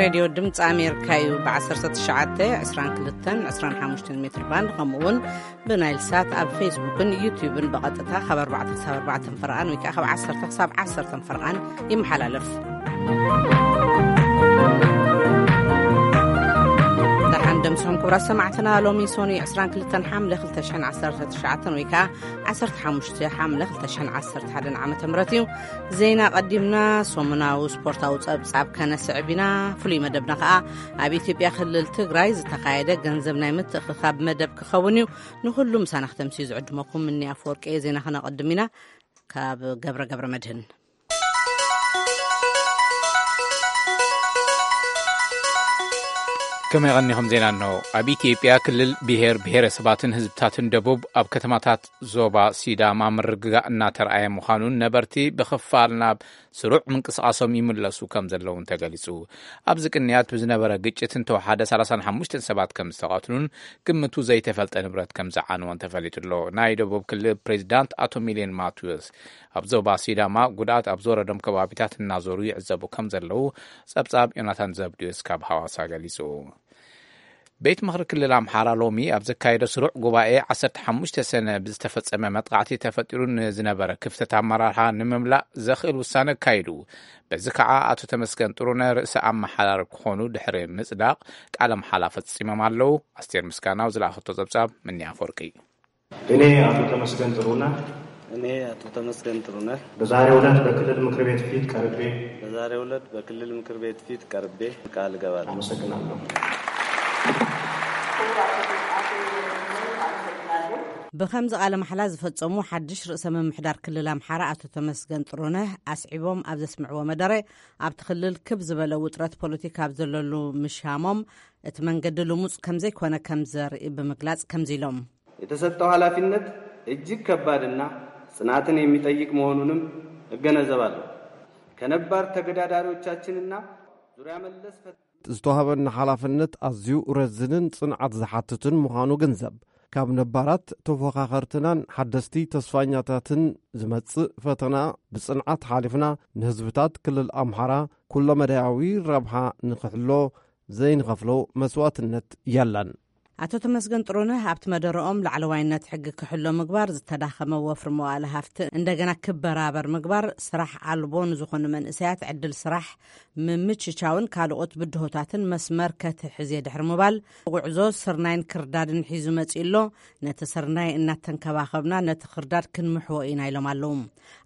ሬድዮ ድምፂ ኣሜሪካ እዩ። ብ19፣ 22፣ 25 ሜትር ባንድ፣ ከምኡ እውን ብናይል ሳት ኣብ ፌስቡክን ዩቲዩብን ብቐጥታ ካብ ኣርባዕተ ክሳብ ኣርባዕተ ፈርቓን ወይ ከዓ ካብ ዓሰርተ ክሳብ ዓሰርተ ፈርቓን ይመሓላለፍ። ደሓን ደምስኹም ክቡራት ሰማዕትና። ሎሚ ሶኒ 22 ሓምለ 2019 ወይ ከዓ 15 ሓምለ 2011 ዓመተ ምህረት እዩ። ዜና ቀዲምና፣ ሰሙናዊ ስፖርታዊ ጸብጻብ ከነስዕብ ኢና። ፍሉይ መደብና ከኣ ኣብ ኢትዮጵያ ክልል ትግራይ ዝተኻየደ ገንዘብ ናይ ምትእኽኻብ መደብ ክኸውን እዩ። ንኹሉ ምሳና ክተምስዩ ዝዕድመኩም እኒ ኣፈወርቂ እየ። ዜና ከነቐድም ኢና። ካብ ገብረ ገብረ መድህን። ከመይ ቀኒኹም? ዜና እንሆ። ኣብ ኢትዮጵያ ክልል ብሔር ብሔረሰባትን ህዝብታትን ደቡብ ኣብ ከተማታት ዞባ ሲዳማ ምርግጋእ እናተረኣየ ምዃኑን ነበርቲ ብኽፋል ናብ ስሩዕ ምንቅስቓሶም ይምለሱ ከም ዘለውን ተገሊጹ። ኣብዚ ቅንያት ብዝነበረ ግጭት እንተወሓደ 35 ሰባት ከም ዝተቐትሉን ግምቱ ዘይተፈልጠ ንብረት ከም ዝዓነወን ተፈሊጡ ኣሎ። ናይ ደቡብ ክልል ፕሬዚዳንት ኣቶ ሚሊዮን ማቴዎስ ኣብ ዞባ ሲዳማ ጉድኣት ኣብ ዝወረዶም ከባቢታት እናዞሩ ይዕዘቡ ከም ዘለዉ ጸብጻብ ዮናታን ዘብድዮስ ካብ ሃዋሳ ገሊጹ። ቤት ምኽሪ ክልል ኣምሓራ ሎሚ ኣብ ዘካየዶ ስሩዕ ጉባኤ 15 ሰነ ብዝተፈጸመ መጥቃዕቲ ተፈጢሩ ንዝነበረ ክፍተት ኣመራርሓ ንምምላእ ዘኽእል ውሳነ ኣካይዱ። በዚ ከዓ ኣቶ ተመስገን ጥሩነ ርእሰ ኣመሓዳሪ ክኾኑ ድሕሪ ምጽዳቕ ቃለ መሓላ ፈጺሞም ኣለዉ። ኣስቴር ምስጋናው ዝለኣኸቶ ጸብጻብ ምንያ ኣፈወርቂ። እኔ አቶ ተመስገን ጥሩነህ እኔ አቶ ተመስገን ጥሩነህ በዛሬው ዕለት በክልል ምክር ቤት ፊት ቀርቤ በዛሬው ዕለት በክልል ምክር ቤት ፊት ቀርቤ ቃል እገባለሁ። አመሰግናለሁ። ብኸምዚ ቃለ ማሕላ ዝፈጸሙ ሓድሽ ርእሰ ምምሕዳር ክልል ኣምሓራ ኣቶ ተመስገን ጥሩነህ ኣስዒቦም ኣብ ዘስምዕዎ መደረ፣ ኣብቲ ክልል ክብ ዝበለ ውጥረት ፖለቲካ ኣብ ዘለሉ ምሻሞም፣ እቲ መንገዲ ልሙጽ ከምዘይኮነ ከም ዘርኢ ብምግላጽ ከምዚ ኢሎም። የተሰጠው ኃላፊነት እጅግ ከባድና ጽናትን የሚጠይቅ መሆኑንም እገነዘባለሁ። ከነባር ተገዳዳሪዎቻችንና ዙሪያ መለስ ፈት- ዝተዋህበና ሓላፍነት ኣዝዩ ረዝንን ጽንዓት ዝሓትትን ምዃኑ ግንዘብ። ካብ ነባራት ተፎኻኸርትናን ሓደስቲ ተስፋኛታትን ዝመጽእ ፈተና ብጽንዓት ሓሊፍና፣ ንህዝብታት ክልል ኣምሓራ ኩለመዳያዊ ረብሓ ንኽሕሎ ዘይንኸፍሎ መስዋእትነት የለን። ኣቶ ተመስገን ጥሩነህ ኣብቲ መደረኦም ላዕለዋይነት ሕጊ ክሕሎ ምግባር፣ ዝተዳኸመ ወፍሪ መዋእለ ሃፍቲ እንደገና ክበራበር ምግባር፣ ስራሕ ኣልቦ ንዝኾኑ መንእሰያት ዕድል ስራሕ ምምችቻውን ካልኦት ብድሆታትን መስመር ከትሕዝ እየ ድሕሪ ምባል፣ ጉዕዞ ስርናይን ክርዳድን ሒዙ መጺኡ ኣሎ። ነቲ ስርናይ እናተንከባኸብና ነቲ ክርዳድ ክንምሕዎ ኢና ኢሎም ኣለዉ።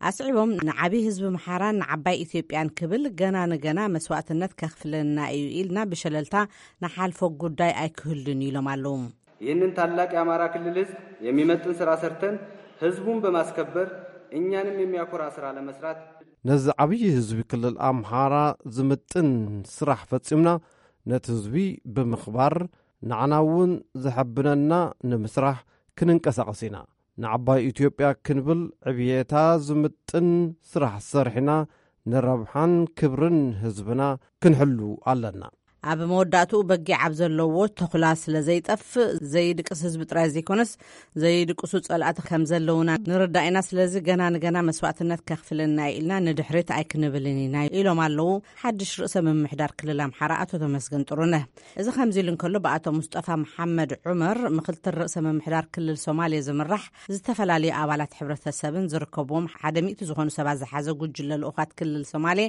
ኣስዒቦም፣ ንዓብዪ ህዝቢ ምሓራን ንዓባይ ኢትዮጵያን ክብል ገና ንገና መስዋእትነት ከኽፍለና እዩ ኢልና ብሸለልታ ንሓልፎ ጉዳይ ኣይክህሉን ኢሎም ኣለዉ። ይህንን ታላቅ የአማራ ክልል ህዝብ የሚመጥን ስራ ሰርተን ህዝቡን በማስከበር እኛንም የሚያኮራ ስራ ለመስራት ነዚ ዓብዪ ህዝቢ ክልል ኣምሓራ ዝምጥን ስራሕ ፈጺምና ነቲ ህዝቢ ብምኽባር ንዓና እውን ዘሐብነና ንምስራሕ ክንንቀሳቐስ ኢና። ንዓባይ ኢትዮጵያ ክንብል ዕብየታ ዝምጥን ስራሕ ሰሪሕና ንረብሓን ክብርን ህዝብና ክንሕሉ ኣለና። ኣብ መወዳእትኡ በጊዕ ኣብ ዘለዎ ተኹላ ስለ ዘይጠፍእ ዘይድቅስ ህዝቢ ጥራይ ዘይኮነስ ዘይድቅሱ ጸላእቲ ከም ዘለውና ንርዳእ ኢና። ስለዚ ገና ንገና መስዋእትነት ከኽፍለና እዩ ኢልና ንድሕሪት ኣይክንብልን ኢና ኢሎም ኣለዉ ሓድሽ ርእሰ ምምሕዳር ክልል ኣምሓራ ኣቶ ተመስገን ጥሩነህ። እዚ ከምዚ ኢሉ እንከሎ ብኣቶ ሙስጠፋ መሓመድ ዑመር ምክትል ርእሰ ምምሕዳር ክልል ሶማሌ ዝምራሕ ዝተፈላለዩ ኣባላት ሕብረተሰብን ዝርከብዎም ሓደ ሚእቲ ዝኾኑ ሰባት ዝሓዘ ጉጅለ ልኡኻት ክልል ሶማሌ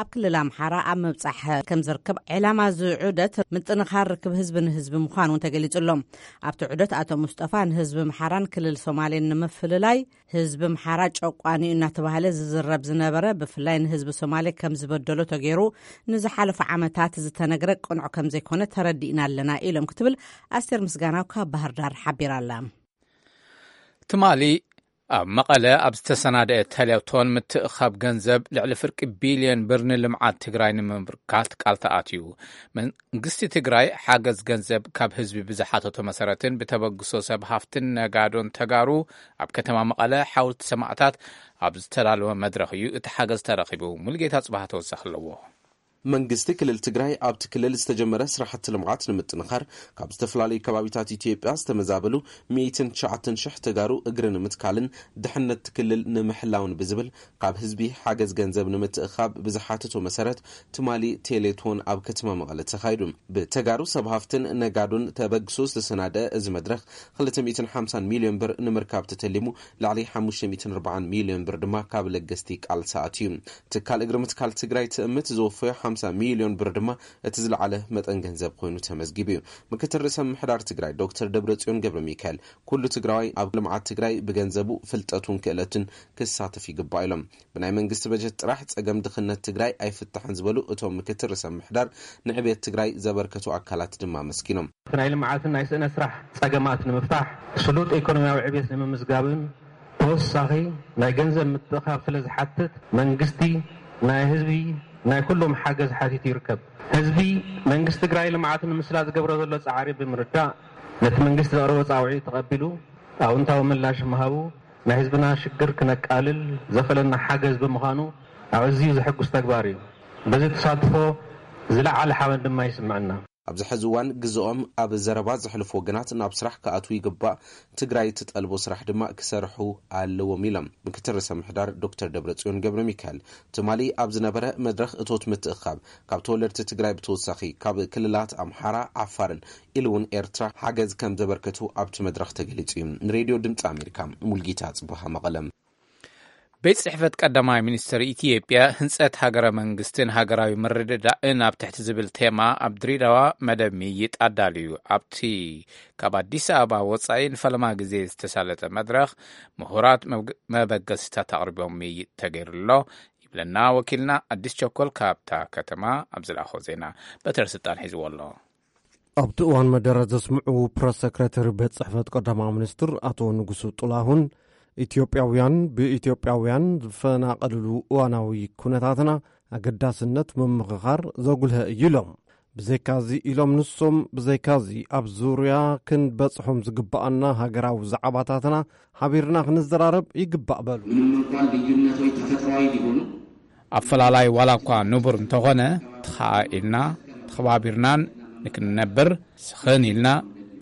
ኣብ ክልል ኣምሓራ ኣብ ምብጻሕ ከም ዝርከብ፣ ዕላማ እዚ ዑደት ምጥንኻር ርክብ ህዝቢ ንህዝቢ ምዃኑ እውን ተገሊጹ ኣሎ። ኣብቲ ዑደት ኣቶ ሙስጠፋ ንህዝቢ ኣምሓራን ክልል ሶማሌን ንምፍልላይ ህዝቢ ኣምሓራ ጨቋኒ እዩ እናተባህለ ዝዝረብ ዝነበረ ብፍላይ ንህዝቢ ሶማሌ ከም ዝበደሎ ተገይሩ ንዝሓለፉ ዓመታት ዝተነግረ ቅኑዕ ከም ዘይኮነ ተረዲእና ኣለና ኢሎም ክትብል ኣስቴር ምስጋናው ካብ ባህር ዳር ሓቢራ ኣላ። ትማሊ ኣብ መቐለ ኣብ ዝተሰናደአ ቴሌቶን ምትእኻብ ገንዘብ ልዕሊ ፍርቂ ቢልዮን ብር ንልምዓት ትግራይ ንምምርካት ቃል ተኣትዩ። መንግስቲ ትግራይ ሓገዝ ገንዘብ ካብ ህዝቢ ብዝሓተቶ መሰረትን ብተበግሶ ሰብ ሃፍትን ነጋዶን ተጋሩ ኣብ ከተማ መቐለ ሓወልቲ ሰማእታት ኣብ ዝተዳለወ መድረኽ እዩ እቲ ሓገዝ ተረኺቡ። ሙሉጌታ ጽባህ ተወሳኺ ኣለዎ። መንግስቲ ክልል ትግራይ ኣብቲ ክልል ዝተጀመረ ስራሕቲ ልምዓት ንምጥንኻር ካብ ዝተፈላለዩ ከባቢታት ኢትዮጵያ ዝተመዛበሉ ሚእትን ትሽዓተን ሽሕ ተጋሩ እግሪ ንምትካልን ድሕነት ክልል ንምሕላውን ብዝብል ካብ ህዝቢ ሓገዝ ገንዘብ ንምትእኻብ ብዝሓተቶ መሰረት ትማሊ ቴሌቶን ኣብ ከተማ መቐለ ተኻይዱ። ብተጋሩ ሰብ ሃፍትን ነጋዶን ተበግሶ ዝተሰናደ እዚ መድረኽ ክልተ ሚእትን ሓምሳን ሚልዮን ብር ንምርካብ ተተሊሙ ልዕሊ ሓሙሽተ ሚእትን ኣርባዓን ሚልዮን ብር ድማ ካብ ለገስቲ ቃል ሰኣት እዩ። ትካል እግሪ ምትካል ትግራይ ትእምት ዝወፈዮ ሓምሳ ሚልዮን ብር ድማ እቲ ዝለዓለ መጠን ገንዘብ ኮይኑ ተመዝጊቡ እዩ። ምክትል ርእሰ ምሕዳር ትግራይ ዶክተር ደብረጽዮን ገብረ ሚካኤል ኩሉ ትግራዋይ ኣብ ልምዓት ትግራይ ብገንዘቡ ፍልጠቱን ክእለቱን ክሳተፍ ይግባእ ኢሎም። ብናይ መንግስቲ በጀት ጥራሕ ጸገም ድኽነት ትግራይ ኣይፍታሕን ዝበሉ እቶም ምክትል ርእሰ ምሕዳር ንዕቤት ትግራይ ዘበርከቱ ኣካላት ድማ ኣመስጊኖም። እቲ ናይ ልምዓትን ናይ ስእነ ስራሕ ጸገማት ንምፍታሕ ስሉጥ ኢኮኖሚያዊ ዕቤት ንምምዝጋብን ተወሳኺ ናይ ገንዘብ ምትእኻብ ስለ ዝሓትት መንግስቲ ናይ ህዝቢ ናይ ኩሎም ሓገዝ ሓቲቱ ይርከብ። ህዝቢ መንግስቲ ትግራይ ልምዓት ንምስላ ዝገብሮ ዘሎ ጻዕሪ ብምርዳእ ነቲ መንግስቲ ዘቕረቦ ጻውዒት ተቐቢሉ ኣውንታዊ ምላሽ ምሃቡ ናይ ህዝብና ሽግር ክነቃልል ዘኽእለና ሓገዝ ብምዃኑ ኣዕዝዩ ዘሐጉስ ተግባር እዩ። በዚ ተሳትፎ ዝለዓለ ሓበን ድማ ይስምዐና። ኣብዚ ሕዚ እዋን ግዝኦም ኣብ ዘረባ ዘሕልፉ ወገናት ናብ ስራሕ ክኣትዉ ይግባእ፣ ትግራይ እትጠልቦ ስራሕ ድማ ክሰርሑ ኣለዎም ኢሎም ምክትል ርእሰ ምሕዳር ዶክተር ደብረጽዮን ገብረ ሚካኤል። ትማሊ ኣብ ዝነበረ መድረኽ እቶት ምትእኻብ ካብ ተወለድቲ ትግራይ ብተወሳኺ ካብ ክልላት ኣምሓራ፣ ዓፋርን ኢሉ እውን ኤርትራ ሓገዝ ከም ዘበርከቱ ኣብቲ መድረኽ ተገሊጹ እዩ። ንሬድዮ ድምፂ ኣሜሪካ ሙልጌታ ጽቡሃ መቐለም። ቤት ጽሕፈት ቀዳማይ ሚኒስትር ኢትዮጵያ ህንጸት ሃገረ መንግስትን ሃገራዊ ምርድዳእን ኣብ ትሕቲ ዝብል ቴማ ኣብ ድሬዳዋ መደብ ምይይጥ ኣዳልዩ። ኣብቲ ካብ ኣዲስ ኣበባ ወጻኢ ንፈለማ ግዜ ዝተሳለጠ መድረኽ ምሁራት መብግ-፣ መበገሲታት ኣቕሪቦም ምይይጥ ተገይሩሎ ይብለና ወኪልና ኣዲስ ቸኮል ካብታ ከተማ ኣብ ዝለኣኾ ዜና በትረ ስልጣን ሒዝዎ ኣሎ። ኣብቲ እዋን መደረ ዘስምዑ ፕረስ ሰክረተሪ ቤት ጽሕፈት ቀዳማዊ ሚኒስትር ኣቶ ንጉሱ ጥላሁን ኢትዮጵያውያን ብኢትዮጵያውያን ዝፈናቐልሉ እዋናዊ ኩነታትና ኣገዳስነት ምምኽኻር ዘጉልሀ እዩ ኢሎም። ብዘይካዚ ኢሎም ንሶም፣ ብዘይካዚ ኣብ ዙርያ ክንበጽሖም ዝግብኣና ሃገራዊ ዛዕባታትና ሓቢርና ክንዘራረብ ይግባእ በሉ። ምንም እንኳን ልዩነቶች ተፈጥሯዊ ቢሆኑም ኣፈላላይ ዋላ እኳ ንቡር እንተኾነ፣ ተኸኣኢልና ተኸባቢርናን ንክንነብር ስኽን ኢልና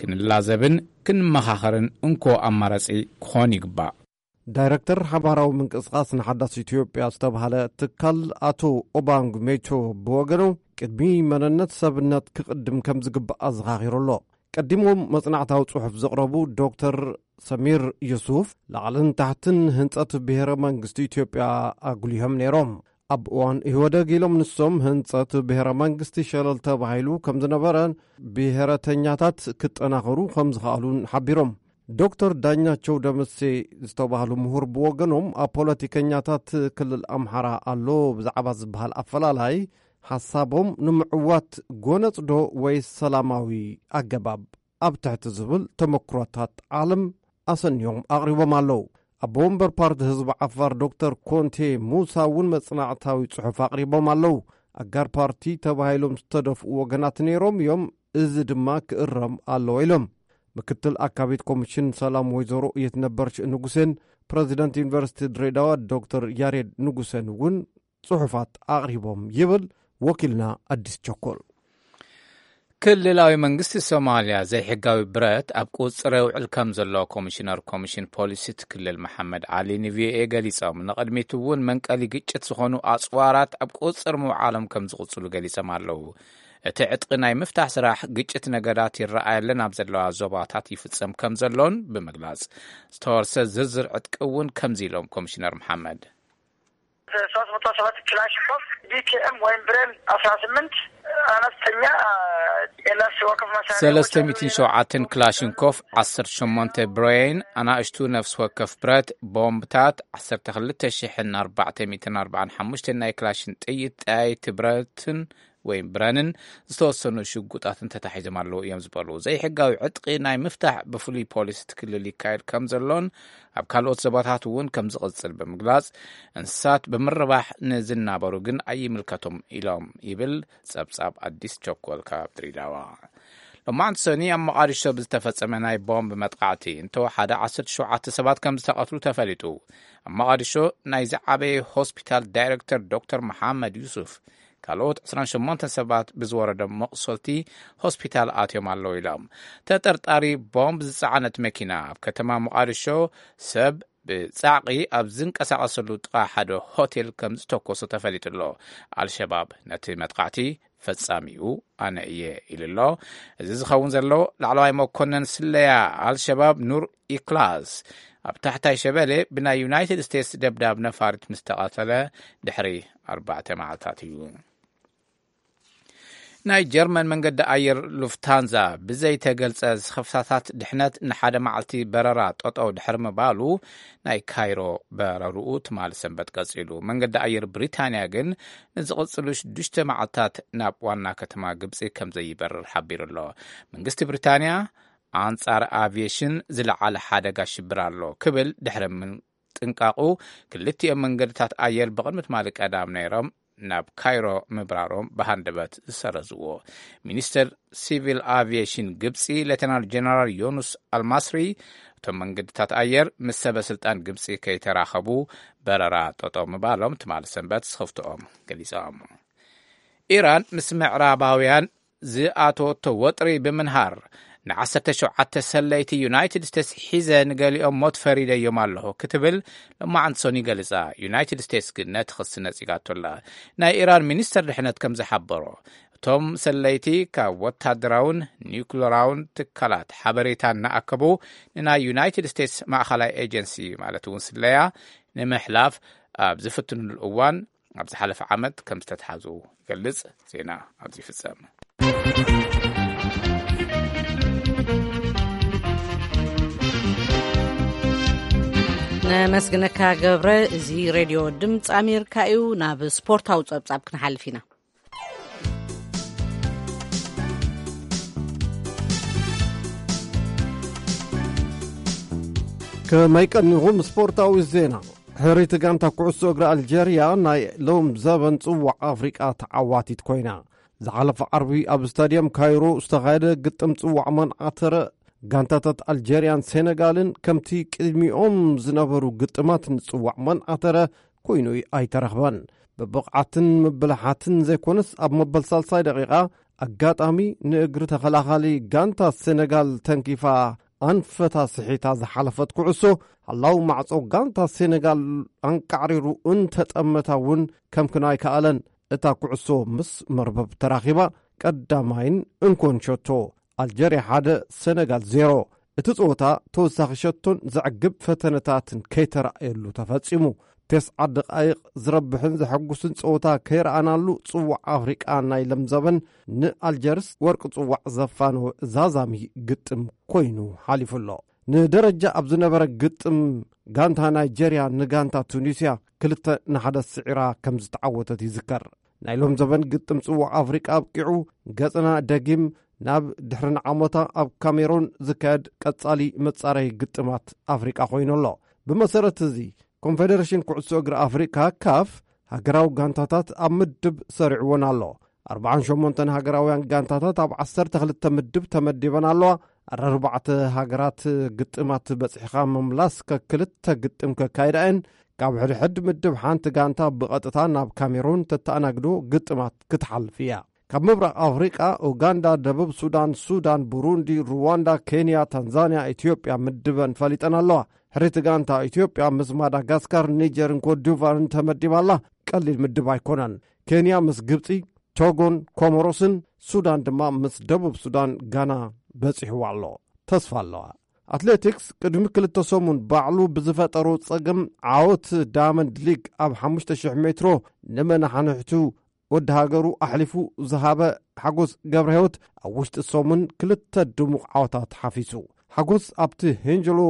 ክንላዘብን ክንመኻኸርን እንኮ ኣማራጺ ክኾን ይግባእ። ዳይረክተር ሓባራዊ ምንቅስቓስ ንሓዳስ ኢትዮጵያ ዝተባህለ ትካል ኣቶ ኦባንግ ሜቶ ብወገኑ ቅድሚ መንነት ሰብነት ክቕድም ከም ዝግባእ ኣዘኻኺሩ ኣሎ። ቀዲሞም መጽናዕታዊ ጽሑፍ ዘቕረቡ ዶክተር ሰሚር ዩሱፍ ላዕልን ታሕትን ህንጸት ብሔረ መንግስቲ ኢትዮጵያ ኣጉሊሆም ነይሮም። ኣብ እዋን ኢህወደግ ኢሎም ንሶም ህንጸት ብሔረ መንግስቲ ሸለል ተባሂሉ ከም ዝነበረን ብሔረተኛታት ክጠናኸሩ ከም ዝኸኣሉን ሓቢሮም። ዶክተር ዳኛቸው ደምሴ ዝተባህሉ ምሁር ብወገኖም ኣብ ፖለቲከኛታት ክልል ኣምሓራ ኣሎ ብዛዕባ ዝበሃል ኣፈላላይ ሓሳቦም ንምዕዋት ጎነጽ ዶ ወይስ ሰላማዊ ኣገባብ ኣብ ትሕቲ ዝብል ተመክሮታት ዓለም ኣሰንዮም ኣቕሪቦም ኣለዉ። ኣቦ ወንበር ፓርቲ ህዝቢ ዓፋር ዶክተር ኮንቴ ሙሳ እውን መጽናዕታዊ ጽሑፍ ኣቕሪቦም ኣለዉ። ኣጋር ፓርቲ ተባሂሎም ዝተደፍኡ ወገናት ነይሮም እዮም፣ እዚ ድማ ክእረም ኣለዎ ኢሎም። ምክትል ኣካቢት ኮሚሽን ሰላም ወይዘሮ የትነበር ንጉሴን ፕረዚደንት ዩኒቨርሲቲ ድሬዳዋ ዶክተር ያሬድ ንጉሴን እውን ጽሑፋት ኣቕሪቦም ይብል ወኪልና ኣዲስ ቸኮል። ክልላዊ መንግስቲ ሶማልያ ዘይሕጋዊ ብረት ኣብ ቁጽር የውዕል ከም ዘሎ ኮሚሽነር ኮሚሽን ፖሊሲ እቲ ክልል መሓመድ ዓሊ ንቪኦኤ ገሊጾም። ንቕድሚት እውን መንቀሊ ግጭት ዝኾኑ ኣጽዋራት ኣብ ቁጽር ምውዓሎም ከም ዝቕጽሉ ገሊጾም ኣለዉ። እቲ ዕጥቂ ናይ ምፍታሕ ስራሕ ግጭት ነገዳት ይረኣየለን ኣብ ዘለዋ ዞባታት ይፍጸም ከም ዘሎን ብምግላጽ፣ ዝተወርሰ ዝርዝር ዕጥቂ እውን ከምዚ ኢሎም ኮሚሽነር መሓመድ። ሶስት መቶ ሰባት ክላሽንኮቭ፣ ቢኬኤም ወይም ብሬን አስራ ስምንት፣ አነስተኛ የነፍስ ወከፍ መሳሪያዎች አሉ። ሰለስተ ሚእትን ሸውዓተን ክላሽንኮቭ፣ ዓሰርተ ሸሞንተ ብሬን፣ ኣናእሽቱ ነፍሲ ወከፍ ብረት፣ ቦምብታት፣ ዓሰርተ ክልተ ሽሕን ኣርባዕተ ሚእትን ኣርባዓን ሓሙሽተን ናይ ክላሽን ጥይት፣ ጠያይቲ ብረትን ወይም ብረንን ዝተወሰኑ ሽጉጣትን ተታሒዞም ኣለዉ እዮም ዝበሉ። ዘይሕጋዊ ዕጥቂ ናይ ምፍታሕ ብፍሉይ ፖሊስ እቲ ክልል ይካየድ ከም ዘሎን ኣብ ካልኦት ዞባታት እውን ከም ዝቕጽል ብምግላጽ፣ እንስሳት ብምርባሕ ንዝናበሩ ግን ኣይምልከቶም ኢሎም ይብል ጸብጻብ ኣዲስ ቸኮል ካብ ድሬዳዋ። ሎማዕንቲ ሰኒ ኣብ መቓዲሾ ብዝተፈጸመ ናይ ቦምብ መጥቃዕቲ እንተወሓደ ዓሰርተ ሸውዓተ ሰባት ከም ዝተቐትሉ ተፈሊጡ። ኣብ መቓዲሾ ናይ ዝዓበየ ሆስፒታል ዳይረክተር ዶክተር መሓመድ ዩሱፍ ካልኦት ዕስራን ሸሞንተን ሰባት ብዝወረዶም መቑሰልቲ ሆስፒታል ኣትዮም ኣለዉ ኢሎም። ተጠርጣሪ ቦምብ ዝጸዓነት መኪና ኣብ ከተማ ሞቓዲሾ ሰብ ብጻዕቒ ኣብ ዝንቀሳቐሰሉ ጥቓ ሓደ ሆቴል ከም ዝተኮሶ ተፈሊጡ ኣሎ። ኣልሸባብ ነቲ መጥቃዕቲ ፈጻሚኡ ኣነ እየ ኢሉ ኣሎ። እዚ ዝኸውን ዘሎ ላዕለዋይ መኮነን ስለያ ኣልሸባብ ኑር ኢክላስ ኣብ ታሕታይ ሸበሌ ብናይ ዩናይትድ ስቴትስ ደብዳብ ነፋሪት ምስ ተቐተለ ድሕሪ ኣርባዕተ መዓልታት እዩ። ናይ ጀርመን መንገዲ ኣየር ሉፍታንዛ ብዘይተገልጸ ዝኸፍታታት ድሕነት ንሓደ መዓልቲ በረራ ጠጠው ድሕሪ ምባሉ ናይ ካይሮ በረርኡ ትማሊ ሰንበት ቀጺሉ። መንገዲ ኣየር ብሪታንያ ግን ንዝቕጽሉ ሽዱሽተ መዓልታት ናብ ዋና ከተማ ግብጺ ከም ዘይበርር ሓቢሩ ኣሎ። መንግስቲ ብሪታንያ ኣንጻር ኣቪየሽን ዝለዓለ ሓደጋ ሽብር ኣሎ ክብል ድሕሪ ምጥንቃቑ፣ ክልቲኦም መንገድታት ኣየር ብቕድሚ ትማሊ ቀዳም ነይሮም ናብ ካይሮ ምብራሮም ብሃንደበት ዝሰረዝዎ። ሚኒስተር ሲቪል ኣቪየሽን ግብጺ ሌተናል ጀነራል ዮኑስ ኣልማስሪ፣ እቶም መንገድታት ኣየር ምስ ሰበ ስልጣን ግብጺ ከይተራኸቡ በረራ ጠጠው ምባሎም ትማሊ ሰንበት ስኽፍትኦም ገሊጾም። ኢራን ምስ ምዕራባውያን ዝኣተወቶ ወጥሪ ብምንሃር፣ ንዓሰርተ ሸውዓተ ሰለይቲ ዩናይትድ ስቴትስ ሒዘ ንገሊኦም ሞት ፈሪደዮም ኣለኹ ክትብል ሎማዓንቲ ሰኑይ ገሊጻ። ዩናይትድ ስቴትስ ግን ነቲ ክሲ ነጺጋቶ ኣላ። ናይ ኢራን ሚኒስተር ድሕነት ከም ዝሓበሮ፣ እቶም ሰለይቲ ካብ ወታደራውን ኒውክለራውን ትካላት ሓበሬታ እናኣከቡ ንናይ ዩናይትድ ስቴትስ ማእኸላይ ኤጀንሲ፣ ማለት እውን ስለያ፣ ንምሕላፍ ኣብ ዝፍትኑሉ እዋን ኣብ ዝሓለፈ ዓመት ከም ዝተትሓዙ ይገልጽ። ዜና ኣብዚ ይፍጸም። ነመስግነካ ገብረ። እዚ ሬድዮ ድምፂ ኣሜሪካ እዩ። ናብ ስፖርታዊ ጸብጻብ ክንሓልፍ ኢና። ከመይ ቀኒኹም? ስፖርታዊ ዜና። ሕርይቲ ጋንታ ኩዕሶ እግሪ ኣልጀርያ ናይ ሎም ዘበን ጽዋዕ ኣፍሪቃ ተዓዋቲት ኮይና። ዝሓለፈ ዓርቢ ኣብ ስታድየም ካይሮ ዝተኻየደ ግጥም ጽዋዕ መንዓተረ፣ ጋንታታት ኣልጀርያን ሴነጋልን ከምቲ ቅድሚኦም ዝነበሩ ግጥማት ንጽዋዕ መንዓተረ ኮይኑ ኣይተረኽበን። ብብቕዓትን ምብልሓትን ዘይኮነስ፣ ኣብ መበል ሳልሳይ ደቂቓ ኣጋጣሚ ንእግሪ ተኸላኻሊ ጋንታ ሴነጋል ተንኪፋ ኣንፈታ ስሒታ ዝሓለፈት ኩዕሶ፣ ሓላው ማዕጾ ጋንታ ሴነጋል ኣንቃዕሪሩ እንተጠመታ እውን ከምክን ኣይከኣለን። እታ ኩዕሶ ምስ መርበብ ተራኺባ ቀዳማይን እንኮን ሸቶ፣ ኣልጀርያ ሓደ ሴነጋል ዜሮ። እቲ ጸወታ ተወሳኺ ሸቶን ዘዕግብ ፈተነታትን ከይተራእየሉ ተፈጺሙ። ተስዓ ደቓይቕ ዝረብሕን ዘሐጉስን ጸወታ ከይረኣናሉ፣ ጽዋዕ ኣፍሪቃ ናይ ለምዘበን ንኣልጀርስ ወርቂ ጽዋዕ ዘፋነወ ዛዛሚ ግጥም ኮይኑ ሓሊፉ ኣሎ። ንደረጃ ኣብ ዝነበረ ግጥም፣ ጋንታ ናይጀርያ ንጋንታ ቱኒስያ ክልተ ንሓደ ስዒራ ከም ዝተዓወተት ይዝከር። ናይ ሎም ዘበን ግጥም ጽዋዕ ኣፍሪቃ ኣብቂዑ፣ ገጽና ደጊም ናብ ድሕሪ ንዓሞታ ኣብ ካሜሮን ዝካየድ ቀጻሊ መጻረዪ ግጥማት ኣፍሪቃ ኮይኑ ኣሎ። ብመሰረት እዚ፣ ኮንፌደሬሽን ኩዕሶ እግሪ ኣፍሪቃ፣ ካፍ፣ ሃገራዊ ጋንታታት ኣብ ምድብ ሰሪዕወን ኣሎ። ኣርብዓን ሸሞንተን ሃገራውያን ጋንታታት ኣብ ዓሰርተ ክልተ ምድብ ተመዲበን ኣለዋ። ኣርባዕተ ሃገራት ግጥማት በጺሕኻ ምምላስ ከክልተ ግጥም ከካይዳ እየን። ካብ ሕድሕድ ምድብ ሓንቲ ጋንታ ብቐጥታ ናብ ካሜሩን ተተኣናግዶ ግጥማት ክትሓልፍ እያ። ካብ ምብራቕ ኣፍሪቃ፣ ኡጋንዳ፣ ደቡብ ሱዳን፣ ሱዳን፣ ቡሩንዲ፣ ሩዋንዳ፣ ኬንያ፣ ታንዛንያ፣ ኢትዮጵያ ምድበን ፈሊጠን ኣለዋ። ሕሪቲ ጋንታ ኢትዮጵያ ምስ ማዳጋስካር፣ ኒጀርን ኮትዲቫርን ተመዲባ ኣላ። ቀሊል ምድብ ኣይኮነን። ኬንያ ምስ ግብጺ፣ ቶጎን ኮሞሮስን፣ ሱዳን ድማ ምስ ደቡብ ሱዳን፣ ጋና በጺሕዋ ኣሎ። ተስፋ ኣለዋ። ኣትሌቲክስ ቅድሚ ክልተ ሰሙን ባዕሉ ብዝፈጠሮ ጸገም ዓወት ዳያመንድ ሊግ ኣብ ሓሙሽተ ሽሕ ሜትሮ ንመናሕንሕቱ ወዲ ሃገሩ ኣሕሊፉ ዝሃበ ሓጎስ ገብረ ህይወት፣ ኣብ ውሽጢ ሰሙን ክልተ ድሙቕ ዓወታት ሓፊሱ። ሓጎስ ኣብቲ ሄንጀሎ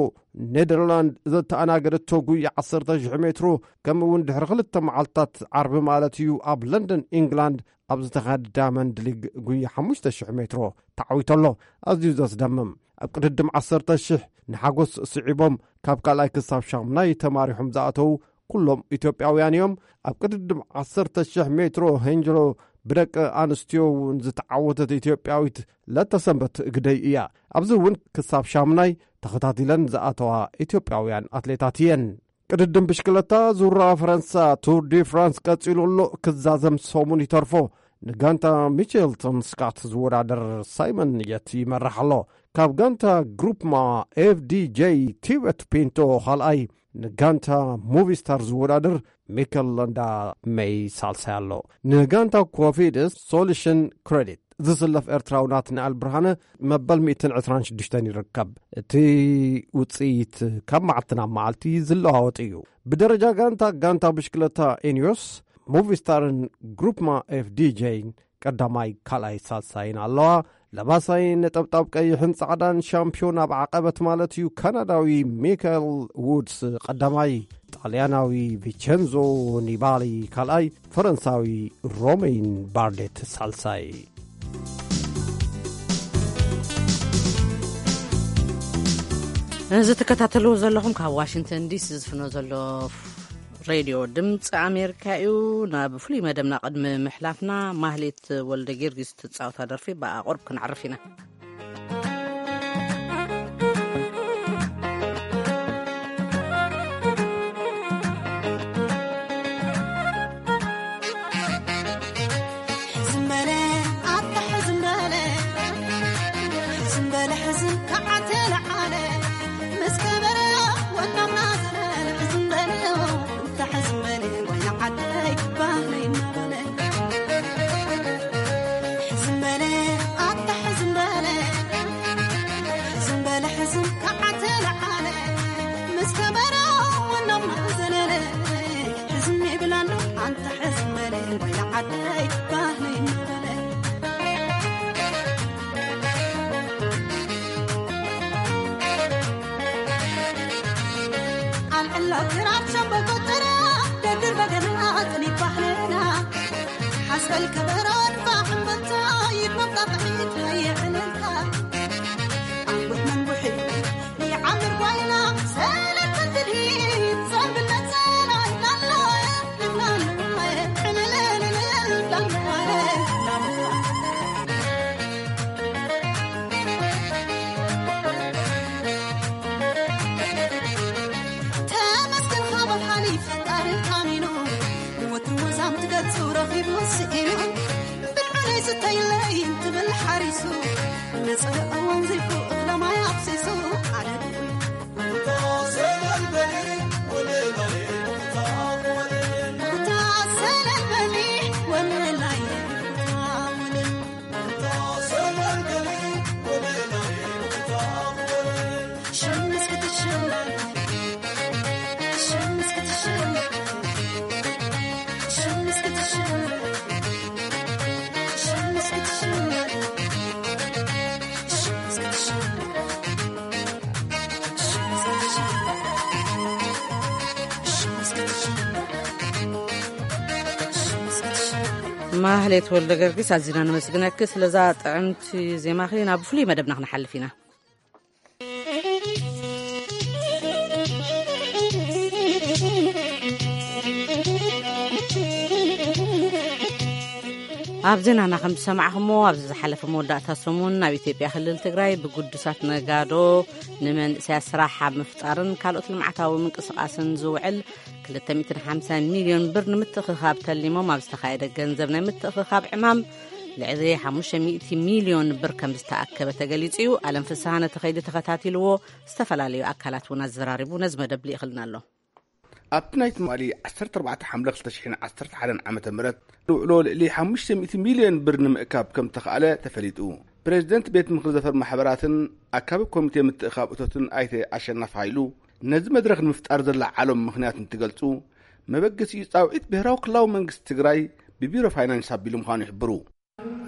ኔደርላንድ ዘተኣናገደቶ ጉያ ዓሰርተ ሽሕ ሜትሮ፣ ከምኡ እውን ድሕሪ ክልተ መዓልታት ዓርቢ ማለት እዩ ኣብ ለንደን ኢንግላንድ ኣብ ዝተኻየደ ዳያመንድ ሊግ ጉያ ሓሙሽተ ሽሕ ሜትሮ ተዓዊቱ ኣሎ። ኣዝዩ ዘስደምም። ኣብ ቅድድም ዓሰርተ ሽሕ ንሓጎስ ስዒቦም ካብ ካልኣይ ክሳብ ሻምናይ ተማሪሖም ዝኣተዉ ኩሎም ኢትዮጵያውያን እዮም። ኣብ ቅድድም ዓሰርተ ሽሕ ሜትሮ ሄንጀሎ ብደቂ ኣንስትዮ እውን ዝተዓወተት ኢትዮጵያዊት ለተሰንበት ግደይ እያ። ኣብዚ እውን ክሳብ ሻምናይ ተኸታቲለን ዝኣተዋ ኢትዮጵያውያን ኣትሌታት እየን። ቅድድም ብሽክለታ ዙራ ፈረንሳ ቱር ዲ ፍራንስ ቀጺሉ ኣሎ። ክዛዘም ሰሙን ይተርፎ። ንጋንታ ሚቸልተን ስካት ዝወዳደር ሳይመን የት ይመርሕ ኣሎ። ካብ ጋንታ ግሩፕ ማ ኤፍዲጄ ቲበት ፒንቶ ካልኣይ፣ ንጋንታ ሙቪስታር ዝወዳደር ሚከል ለንዳ መይ ሳልሳይ ኣሎ። ንጋንታ ኮፊድስ ሶሉሽን ክሬዲት ዝስለፍ ኤርትራዊ ናትናኤል ብርሃነ መበል ሚእትን ዕስራን ሽዱሽተን ይርከብ። እቲ ውጽኢት ካብ መዓልቲ ናብ መዓልቲ ዝለዋወጥ እዩ። ብደረጃ ጋንታ፣ ጋንታ ብሽክለታ ኢንዮስ፣ ሙቪስታርን ግሩፕማ ኤፍዲጄን ቀዳማይ፣ ካልኣይ፣ ሳልሳይን ኣለዋ። ለባሳይ ነጠብጣብ ቀይሕን ጻዕዳን ሻምፒዮን ኣብ ዓቐበት ማለት እዩ፣ ካናዳዊ ሚካኤል ውድስ ቀዳማይ፣ ጣልያናዊ ቪቸንዞ ኒባሊ ካልኣይ፣ ፈረንሳዊ ሮሜን ባርዴት ሳልሳይ። እዚ ትከታተልዎ ዘለኹም ካብ ዋሽንግተን ዲሲ ዝፍኖ ዘሎ ሬድዮ ድምፂ ኣሜሪካ እዩ። ናብ ፍሉይ መደብና ቅድሚ ምሕላፍና፣ ማህሌት ወልደ ጊዮርጊስ ትፃወታ ደርፊ ብኣቕርብ ክንዕርፍ ኢና። ሕዝም በለ ኣታ ሕዝም በለ፣ ሕዝም በለ ሕዝም ከዓተ ለዓለ፣ ምስ ከበረ ወናምና ዘለለ። ሕዝም በለ ኣታ ሕዝም በለ፣ ወይና ዓደይ ባህለይ እናበለ። ሕዝም በለ ኣታ ሕዝም በለ፣ ሕዝም በለ ሕዝም ከዓተ ለዓለ፣ ምስ ከበረ ወናምና ዘለለ። ሕዝም ይብላሉ ኣንታ ሕዝም በለ፣ ወይና ዓደይ ባህለይ እናበለ። ኣልዕሎ ክራር ሸምበቆ ጥራ፣ ደድር በገና ጥኒት ባህልና። ሓስበል ከበሮ ንፋሕ እምብልታ፣ ይድመቕ ጣቕዒት ናይ ዕልልታ። ኣንቡሕ መንቡሒ ይዓምር ጓይላ፣ ሰለስተ ትልሂት ዘንብል ነጸላ ይብላላ፣ ይብላላ፣ ዕልልልልል ይብላላ። ተመስገን ካብ ሓሊፍ ፈጣሪ ኣሚኑ፣ ንወትሩ ወዛም ትገጹ ረኺቡ ስኢኑ፣ ብልዑለይ ስተይለይ እንትብል ሓሪሱ፣ ነጸረ ኣዋንዚፉ እኽለ ማይ ኣፍሲሱ፣ ኣነ ድኡይ። ማህሌት ወልደ ገርጊስ፣ ኣዚና ነመስግነኪ ስለዛ ጥዕምቲ ዜማኺ። ናብ ፍሉይ መደብና ክንሓልፍ ኢና። ኣብ ዜናና ከም ዝሰማዕኹሞ፣ ኣብዚ ዝሓለፈ መወዳእታ ሰሙን ኣብ ኢትዮጵያ ክልል ትግራይ ብግዱሳት ነጋዶ ንመንእሰያት ስራሕ ኣብ ምፍጣርን ካልኦት ልምዓታዊ ምንቅስቓስን ዝውዕል ክልተ ሚእትን ሓምሳን ሚልዮን ብር ንምትእኽኻብ ተሊሞም ኣብ ዝተኻየደ ገንዘብ ናይ ምትእኽኻብ ዕማም ልዕሊ ሓሙሽተ ሚእቲ ሚልዮን ብር ከም ዝተኣከበ ተገሊጹ እዩ። ኣለም ፍስሃ ነቲ ከይዲ ተኸታቲልዎ፣ ዝተፈላለዩ ኣካላት እውን ኣዘራሪቡ ነዚ መደብ ልኢኽልና ኣሎ። ኣብቲ ናይ ትማሊ ዓሰርተ ኣርባዕተ ሓምለ ክልተ ሽሕን ዓሰርተ ሓደን ዓመተ ምህረት ዝውዕሎ ልዕሊ ሓሙሽተ ሚእቲ ሚልዮን ብር ንምእካብ ከም ተኻእለ ተፈሊጡ። ፕሬዚደንት ቤት ምኽሪ ዘፈር ማሕበራትን ኣካቢ ኮሚቴ ምትእኻብ እቶትን ኣይተ ኣሸናፊ ሃይሉ፣ ነዚ መድረኽ ንምፍጣር ዘለዓሎም ምኽንያት እንትገልጹ፣ መበገሲኡ ጻውዒት ብሄራዊ ክልላዊ መንግስቲ ትግራይ ብቢሮ ፋይናንስ ኣቢሉ ምዃኑ ይሕብሩ።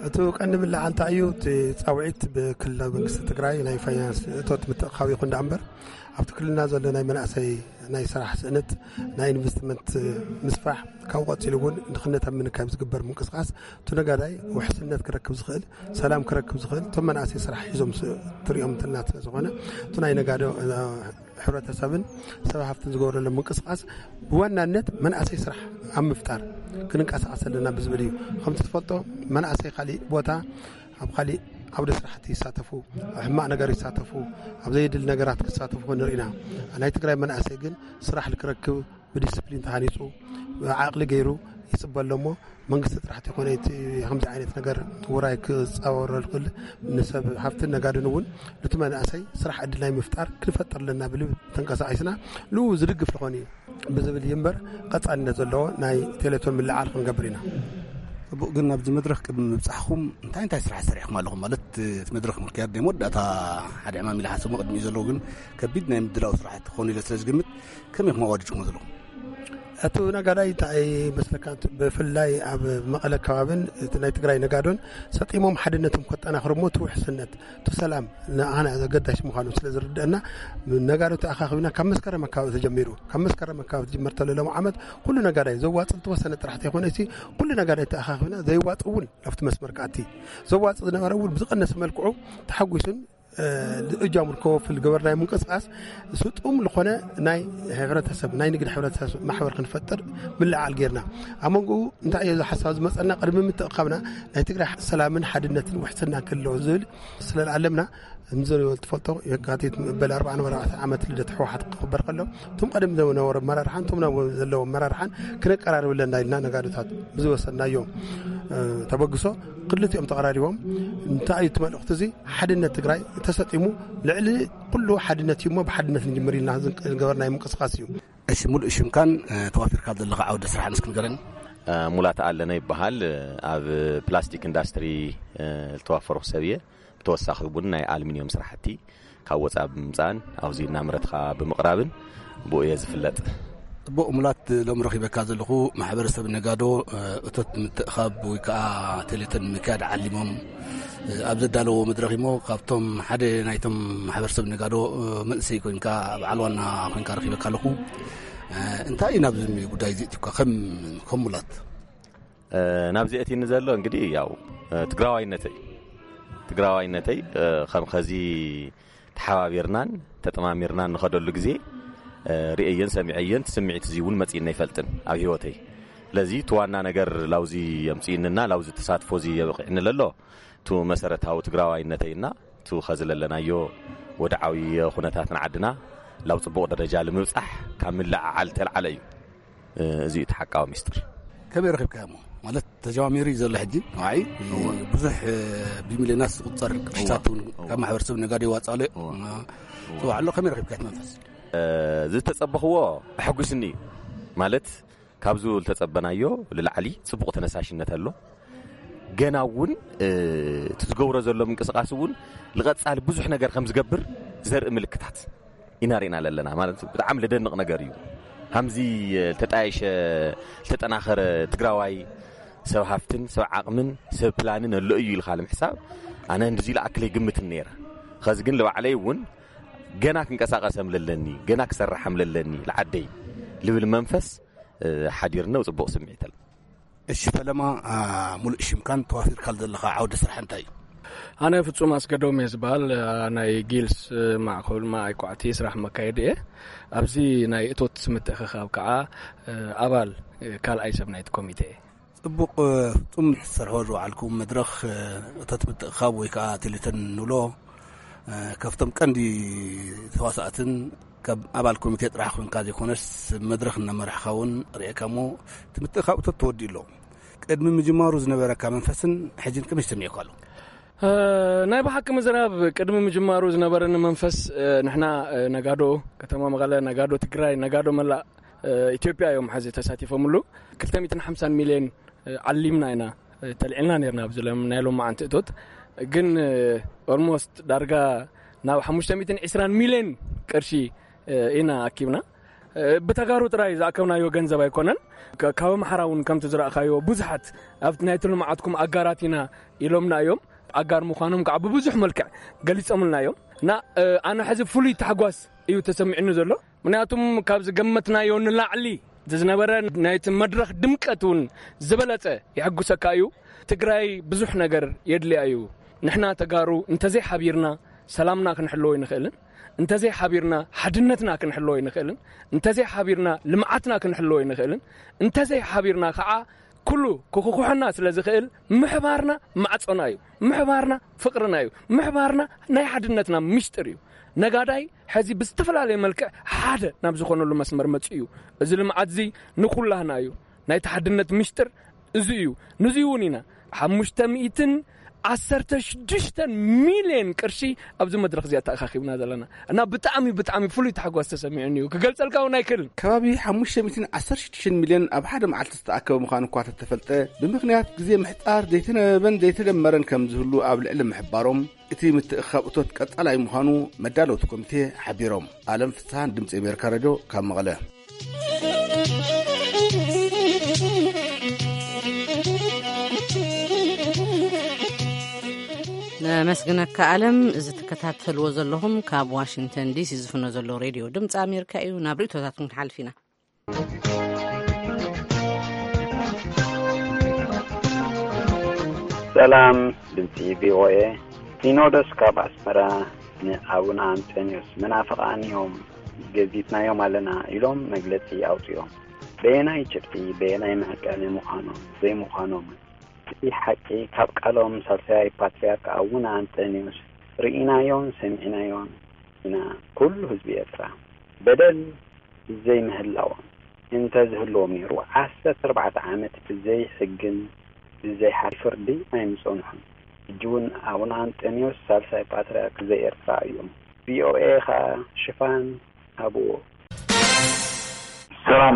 እቲ ቀንዲ ብላዕ እንታይ እዩ? እቲ ጻውዒት ብክልላዊ መንግስቲ ትግራይ ናይ ፋይናንስ እቶት ምትእኻብ ይኹን ደኣ እምበር፣ ኣብቲ ክልልና ዘሎ ናይ መናእሰይ ናይ ስራሕ ስእነት፣ ናይ ኢንቨስትመንት ምስፋሕ፣ ካብኡ ቀጺሉ እውን ድኽነት ኣብ ምንካይ ዝግበር ምንቅስቃስ፣ እቲ ነጋዳይ ውሕስነት ክረክብ ዝኽእል፣ ሰላም ክረክብ ዝኽእል፣ እቶም መናእሰይ ስራሕ ሒዞም ስ-፣ ትሪኦም ትልና ስለ ዝኾነ፣ እቲ ናይ ነጋዶ፣ እ፣ ሕብረተሰብን ሰብ ሃፍትን ዝገብረሎም ምንቅስቃስ ብዋናነት መናእሰይ ስራሕ ኣብ ምፍጣር ክንንቀሳቐስ ኣለና ብዝብል እዩ። ከምቲ ትፈልጦ፣ መናእሰይ ካሊእ ቦታ ኣብ ካሊእ ዓውደ ስራሕቲ ይሳተፉ፣ ኣብ ሕማቕ ነገር ይሳተፉ፣ ኣብ ዘየድሊ ነገራት ክሳተፉ ንርኢና። ናይ ትግራይ መናእሰይ ግን ስራሕ ክረክብ ብዲስፕሊን ተሃኒፁ ዓቕሊ ገይሩ ይፅበ ኣሎ እሞ መንግስቲ ጥራሕ ተይኮነ እቲ ከምዚ ዓይነት ነገር ውራይ ክፃወረሉ ክእል ንሰብ ሃፍትን ነጋድን እውን ነቲ መናእሰይ ስራሕ ዕድል ናይ ምፍጣር ክንፈጥር ኣለና ብልብ ተንቀሳቂስና ንኡ ዝድግፍ ዝኾነ እዩ ብዝብል እዩ እምበር ቀፃልነት ዘለዎ ናይ ቴሌቶን ምልዓል ክንገብር ኢና። ጽቡቕ። ግን ኣብዚ መድረኽ ቅድሚ ምብጻሕኹም እንታይ እንታይ ስራሕ ሰሪሕኩም ኣለኹም? ማለት እቲ መድረኽ ምክያድ ናይ መወዳእታ ሓደ ዕማም ኢለ ሓሰሞ ቅድሚ እዩ ዘለዉ ግን ከቢድ ናይ ምድላው ስራሕቲ ክኾኑ ኢለ ስለ ዝግምት ከመይ ኢኹም ኣዋዲድኩም ዘለኹም? እቲ ነጋዳይ እንታይ መስለካ ብፍላይ ኣብ መቐለ ከባብን እቲ ናይ ትግራይ ነጋዶን ሰጢሞም ሓድነቶም ከጠናኽሩ እሞ እቲ ውሕስነት እቲ ሰላም ንኣና ዘገዳሽ ምዃኑ ስለ ዝርድአና ነጋዶ ተኣኻኺብና ካብ መስከረም ኣካባቢ ተጀሚሩ ካብ መስከረም ኣካባቢ ተጀመር ተለለሙ ዓመት ኩሉ ነጋዳይ ዘዋፅእ ዝተወሰነ ጥራሕ ተይኮነ ኩሉ ነጋዳይ ተኣኻኺብና ዘይዋፅ እውን ናብቲ መስመር ክኣቲ ዘዋፅእ ዝነበረ እውን ብዝቐነሰ መልክዑ ተሓጒሱን እጃሙ ከወፍል ገበርናይ ምንቅስቃስ ስጡም ዝኾነ ናይ ሕብረተሰብ ናይ ንግድ ሕብረተሰብ ማሕበር ክንፈጥር ምልዓል ጌርና ኣብ መንጎኡ እንታይ እዮ ሓሳብ ዝመፀና ቅድሚ ምትእኻብና ናይ ትግራይ ሰላምን ሓድነትን ውሕስና ክህልዎ ዝብል ስለዝኣለምና ምዘሪዎ ትፈልጦ የካቲት በል ኣርባዕተ ዓመት ልደት ህወሓት ክኽበር ከሎ እቶም ቀደም ዝነበሩ ኣመራርሓን እቶም ዘለዉ ኣመራርሓን ክነቀራርብ ኣለና ኢልና ነጋዶታት ብዝወሰድናዮ ተበግሶ ክልቲኦም ተቐራሪቦም እንታይ እዩ እቲ መልእኽቲ እዚ ሓድነት ትግራይ ተሰጢሙ ልዕሊ ኩሉ ሓድነት እዩ እሞ ብሓድነት ንጅምር ኢልና ዝገበርናዮ ምንቅስቃስ እዩ። እሺ፣ ሙሉእ ሽምካን ተዋፊርካ ዘለኻ ዓውደ ስራሕን እስኪ ንገረኒ። ሙላት ኣለነ ይበሃል። ኣብ ፕላስቲክ ኢንዳስትሪ ዝተዋፈርኩ ሰብ እየ። ብተወሳኺ እውን ናይ ኣልሚንዮም ስራሕቲ ካብ ወፃኢ ብምምፃእን ኣብዚ እናምረትካ ብምቕራብን ብኡ እየ ዝፍለጥ። ጽቡቕ ሙላት፣ ሎም ረኺበካ ዘለኹ ማሕበረሰብ ነጋዶ እቶት ምትእኻብ ወይ ከዓ ቴሌቶን ምክያድ ዓሊሞም ኣብ ዘዳለዎ መድረኽ እሞ ካብቶም ሓደ ናይቶም ማሕበረሰብ ነጋዶ መንእሰይ ኮንካ በዓል ዋና ኮንካ ረኺበካ ኣለኹ። እንታይ እዩ ናብዚ ጉዳይ እዚ እትኳ ከም ከም ሙላት? ናብዚ እቲኒ ዘሎ እንግዲህ ያው ትግራዋይነተይ ትግራዋይነተይ ከም ኸዚ ተሓባቢርናን ተጠማሚርናን ንኸደሉ ግዜ ርእየየን ሰሚዐየን ስምዒት እዚ እውን መፅእና ይፈልጥን ኣብ ህይወተይ። ስለዚ እቲ ዋና ነገር ላውዚ የምፅእንና ላውዚ ተሳትፎ እዚ የበቂዕኒ ለሎ እቲ መሰረታዊ ትግራዋይነተይና እቲ ኸዚ ለለናዮ ወድዓዊ ኩነታት ንዓድና ላብ ፅቡቕ ደረጃ ልምብፃሕ ካብ ምልዓዓል ተልዓለ እዩ። እዚ እዩ እቲ ሓቃዊ ሚስጥር። ከመይ ረኺብካዮ እሞ ማለት ተጀማሚሩ እዩ ዘሎ ሕጂ ንዓይ ብዙሕ ብሚልዮናት ዝቁፀር ቅርሽታት እውን ካብ ማሕበረሰብ ነጋዶ ይዋፅእ ኣሎ። ፅዋዕ ኣሎ ከመይ ረኺብካዮ እቲ መንፈስ? ዝተፀበኽዎ ኣሐጒስኒ እዩ ማለት ካብዚ ዝተፀበናዮ ልላዕሊ ፅቡቕ ተነሳሽነት ኣሎ። ገና እውን እቲ ዝገብሮ ዘሎ ምንቅስቃስ እውን ልቐፃሊ ብዙሕ ነገር ከም ዝገብር ዘርኢ ምልክታት ኢና ርኢና ለለና ማለት ብጣዕሚ ልደንቕ ነገር እዩ። ሃምዚ ልተጣየሸ ልተጠናኸረ ትግራዋይ ሰብ ሃፍትን ሰብ ዓቕምን ሰብ ፕላንን ኣሎ እዩ ኢልካ ንምሕሳብ ኣነ እንድዚ ልኣክል ኣይግምትን ነይረ። ኸዚ ግን ልባዕለይ እውን ገና ክንቀሳቀሰም ለለኒ ገና ክሰርሓም ለለኒ ልዓደይ ልብል መንፈስ ሓዲርነው ፅቡቕ ስምዒት ኣለ። እሺ ፈለማ ሙሉእ ሽምካን ተዋፊርካል ዘለኻ ዓውዲ ስራሕ እንታይ እዩ? ኣነ ፍጹም ኣስገዶም እየ ዝበሃል ናይ ጊልስ ማእከል ማእይ ኳዕቲ ስራሕ መካየዲ እየ። ኣብዚ ናይ እቶት ምትእኽኻብ ከዓ ኣባል ካልኣይ ሰብ ናይቲ ኮሚቴ እየ። ጽቡቕ ፍጹም ትሰርሖ ዝወዓልኩም መድረኽ እቶት ምትእኽኻብ ወይ ከዓ ቴሌተን ንብሎ ካብቶም ቀንዲ ተዋሳእትን ካብ ኣባል ኮሚቴ ጥራሕ ኮንካ ዘይኮነስ መድረኽ እናመራሕኻ እውን ርእየካ እሞ እቲ ምትእኻብ እቶት ተወዲኡ ኣሎ። ቅድሚ ምጅማሩ ዝነበረካ መንፈስን ሕጅን ከመይ ተሰሚዑካ ኣሎ? ናይ ብሓቂ ምዝራብ ቅድሚ ምጅማሩ ዝነበረኒ መንፈስ ንሕና ነጋዶ ከተማ መቐለ፣ ነጋዶ ትግራይ፣ ነጋዶ መላእ ኢትዮጵያ እዮም ሓዚ ተሳቲፎምሉ። ክልተ ሚእትን ሓምሳን ሚልዮን ዓሊምና ኢና ተልዒልና ነርና ኣብዚ ናይ ሎማዓንቲ እቶት ግን ኦልሞስት ዳርጋ ናብ ሓሙሽተ ሚእትን ዕስራን ሚልዮን ቅርሺ ኢና ኣኪብና። ብተጋሩ ጥራይ ዝኣከብናዮ ገንዘብ ኣይኮነን። ካብ ኣምሓራ እውን ከምቲ ዝረእኻዮ ብዙሓት ኣብቲ ናይቲ ልምዓትኩም ኣጋራት ኢና ኢሎምና እዮም። ኣጋር ምዃኖም ከዓ ብብዙሕ መልክዕ ገሊፆምልና እዮም እና ኣነ ሕዚ ፍሉይ ታሕጓስ እዩ ተሰሚዕኒ ዘሎ። ምክንያቱም ካብ ዝገመትናዮ ንላዕሊ ዝነበረ ናይቲ መድረኽ ድምቀት እውን ዝበለፀ የሐጉሰካ እዩ። ትግራይ ብዙሕ ነገር የድልያ እዩ። ንሕና ተጋሩ እንተዘይ ሓቢርና ሰላምና ክንሕልዎ ኣይንኽእልን። እንተዘይ ሓቢርና ሓድነትና ክንሕልዎ ኣይንኽእልን። እንተዘይ ሓቢርና ልምዓትና ክንሕልዎ ኣይንኽእልን። እንተዘይ ሓቢርና ከዓ ኩሉ ክኹሕና ስለ ዝኽእል፣ ምሕባርና ማዕጾና እዩ። ምሕባርና ፍቕርና እዩ። ምሕባርና ናይ ሓድነትና ምሽጥር እዩ። ነጋዳይ ሕዚ ብዝተፈላለየ መልክዕ ሓደ ናብ ዝኾነሉ መስመር መጺኡ እዩ። እዚ ልምዓት እዚ ንኹላህና እዩ። ናይቲ ሓድነት ምሽጥር እዚ እዩ። ንዚ እውን ኢና ሓሙሽተ ሚእትን ዓሰርተ ሽዱሽተን ሚልዮን ቅርሺ ኣብዚ መድረኽ እዚኣ ተኣኻኺብና ዘለና እና ብጣዕሚ ብጣዕሚ ፍሉይ ታሕጓስ ተሰሚዑኒ እዩ። ክገልጸልካ እውን ኣይክእልን። ከባቢ ሓሙሽተ ሚእትን ዓሰርተ ሽዱሽተ ሚልዮን ኣብ ሓደ መዓልቲ ዝተኣከበ ምዃኑ እኳ ተተፈልጠ፣ ብምኽንያት ግዜ ምሕጻር ዘይተነበበን ዘይተደመረን ከም ዝህሉ ኣብ ልዕሊ ምሕባሮም፣ እቲ ምትእኽኻብ እቶት ቀጻላይ ምዃኑ መዳለውቲ ኮሚቴ ሓቢሮም። ኣለም ፍስሃን ድምጺ ኣሜሪካ ሬድዮ ካብ መቐለ። ነመስግነካ ኣለም። እዚ ትከታተልዎ ዘለኹም ካብ ዋሽንግተን ዲሲ ዝፍኖ ዘሎ ሬድዮ ድምፂ ኣሜሪካ እዩ። ናብ ርእቶታትኩም ክንሓልፍ ኢና። ሰላም ድምፂ ቪኦኤ። ሲኖዶስ ካብ ኣስመራ ንኣቡነ ኣንጠንዮስ መናፍቓን እዮም ገዚትናዮም ኣለና ኢሎም መግለፂ ኣውፂኦም። በየናይ ጭብጢ በየናይ መዕቀኒ ምዃኖም ዘይምዃኖምን እቲ ሓቂ ካብ ቃሎም ሳልሳይ ፓትርያርክ ኣቡነ ኣንጠንዮስ ርኢናዮን ሰሚዕናዮን ኢና። ኩሉ ህዝቢ ኤርትራ በደል ብዘይምህላዎም እንተዝህልዎም ነይሩ ዓሰርተ ኣርባዕተ ዓመት ብዘይ ሕግን ብዘይ ሓ ፍርዲ ኣይምጸንሑን። ሕጂ እውን ኣቡነ ኣንጠንዮስ ሳልሳይ ፓትርያርክ ዘኤርትራ እዮም። ቪኦኤ ኸኣ ሽፋን ሃብዎ። ሰላም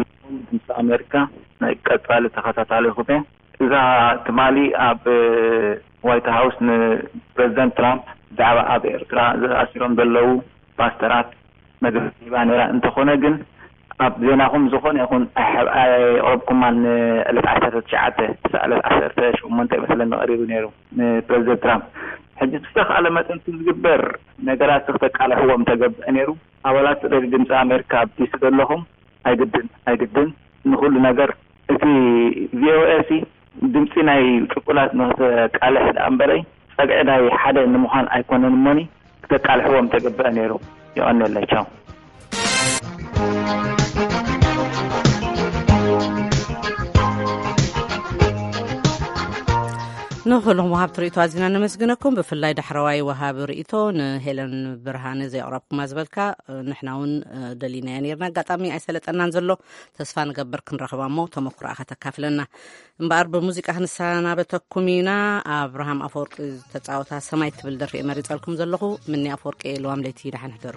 ድምፂ ኣሜሪካ ናይ ቀፃሊ ተኸታታሊ ኩቴ እዛ ትማሊ ኣብ ዋይት ሃውስ ንፕሬዚደንት ትራምፕ ብዛዕባ ኣብ ኤርትራ ዝኣሲሮም ዘለዉ ፓስተራት መግለፂ ሂባ ነይራ። እንተኾነ ግን ኣብ ዜናኹም ዝኾነ ይኹን ኣየቕረብኩማን። ንዕለት ዓሰርተ ትሽዓተ ክሳዕ ዕለት ዓሰርተ ሸሞንተ ይመስለኒ ቀሪቡ ነይሩ ንፕሬዚደንት ትራምፕ። ሕጂ ብዝተኻእለ መጠን ዝግበር ነገራት ክተቃልሕዎም ተገብአ ነይሩ። ኣባላት ሬድዮ ድምፂ ኣሜሪካ ኣብ ዲሲ ዘለኹም ኣይግድን ኣይግድን ንኹሉ ነገር እቲ ቪኦኤ ሲ ድምፂ ናይ ጭቁናት ንክተቃልሕ ደኣ እምበረይ ፀግዒ ናይ ሓደ ንምዃን ኣይኮነን እሞኒ ክተቃልሕዎም ተገብአ ነይሩ። የቐንየለይ። ቻው። ንኹሎም ወሃብቲ ርእቶ ኣዚና ነመስግነኩም። ብፍላይ ዳሕረዋይ ወሃቢ ርእቶ ንሄለን ብርሃነ ዘየቕረብኩማ ዝበልካ ንሕና እውን ደሊናያ ነርና። ኣጋጣሚ ኣይሰለጠናን ዘሎ። ተስፋ ንገብር ክንረኽባ እሞ ተመክሮኣ ከተካፍለና። እምበኣር ብሙዚቃ ክንሰናበተኩም ኢና። ኣብርሃም ኣፈወርቂ ዝተፃወታ ሰማይ ትብል ደርፊ እየ መሪፀልኩም ዘለኹ። ምኒ ኣፈወርቂ እየ። ለዋም ለይቲ ደሓን ሕደሩ።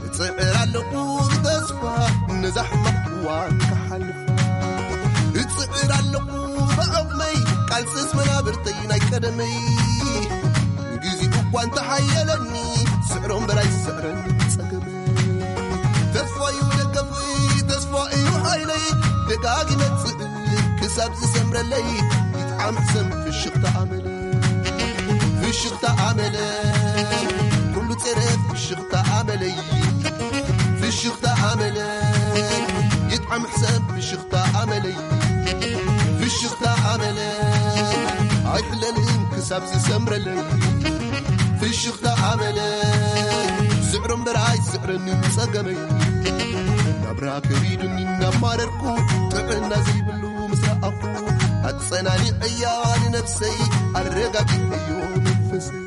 እጽዕር ኣለኹ ብተስፋ ነዛ ሕማቕ እዋን ክሓልፍ። እጽዕር ኣለኹ ብዓቕመይ ቃልስስ መናብርተይ ናይ ቀደመይ። ግዜኡ እኳ እንተሓየለኒ ስዕሮ እምበር ኣይስዕረን ጸገመይ። ተስፋ እዩ ደገፈይ፣ ተስፋ እዩ ሓይለይ። ደጋጊመ እጽዕር ክሳብ ዝሰምረለይ። ይጥዓም ሕሰም ፍሽኽታ ኣመለይ። ፍሽኽታ ኣመለይ ኩሉ ጸረ ፍሽኽታ ኣመለይ። ፍሽኽታ ኣመለይ ይጥዓም ሕሰም ፍሽኽታ ኣመለይ። ፍሽኽታ ኣመለይ ኣይሕለልን ክሳብ ዝሰምረለይ። ፍሽኽታ ኣመለይ ስዕሮ እምበር ኣይስዕረንን ጸገመይ። ናብራ ከቢዱኒ እናማረርኩ ጥዕና ዘይብሉ ምስ ረኣኹ ኣጸናኒዐያ ንነብሰይ ኣረጋጊዐዮ መንፈሰይ።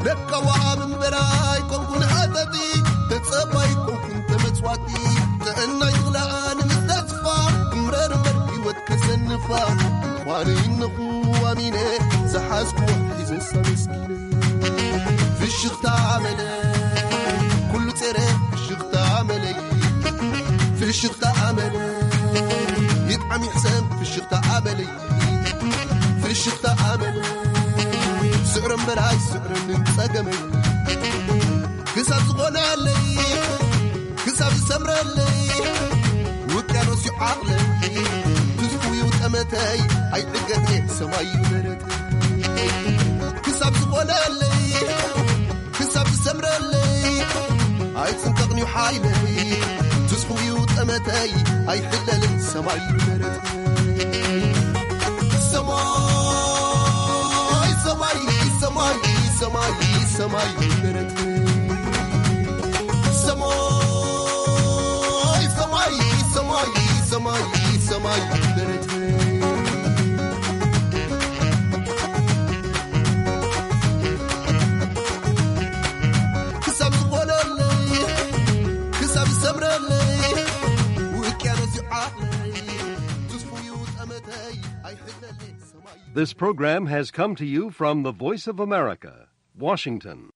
ለካ ወሃብ እምበር ኣይኮንኩን ሃተቲ ተጸባይ ኣይኮንኩን ተመጽዋቲ። ጥዕናይ ዝኽልኣ ንምስተስፋ እምረር እምበር ህይወት ከሰንፋ ኳነ ይነኹ ኣሚነ ዝሓዝኩዎ ሒዘሳ መስኪነ። ፍሽኽታ ኣመለ ኩሉ ጸረ ፍሽኽታ ኣመለይ። ፍሽኽታ ኣመለ ይጥዓም ይሕሰም ፍሽኽታ ኣመለይ። ፍሽኽታ ኣመለ ስዕሮ እምበር ኣይስዕረንን ጸገመይ። ክሳብ ዝኾነለይ ክሳብ ዝሰምረለይ ውቅያኖስ እዩ ዓቕለይ። ትዝፉ እዩ ጠመተይ ኣይዕገት እየ ሰማይ እዩ ደረተይ። ክሳብ ዝኾነለይ ክሳብ ዝሰምረለይ ኣይጽንቀቕን እዩ ሓይለይ። ትዝፉ እዩ ጠመተይ ኣይሕለልን ሰማይ እዩ ደረተይ። ሰማይ ሰማይ ሰማይ ሰማይ ሰማይ ደረተይ። ሰማይ ሰማይ ሰማይ ሰማይ ሰማይ ደረተይ። This program has come to you from the Voice of America, Washington.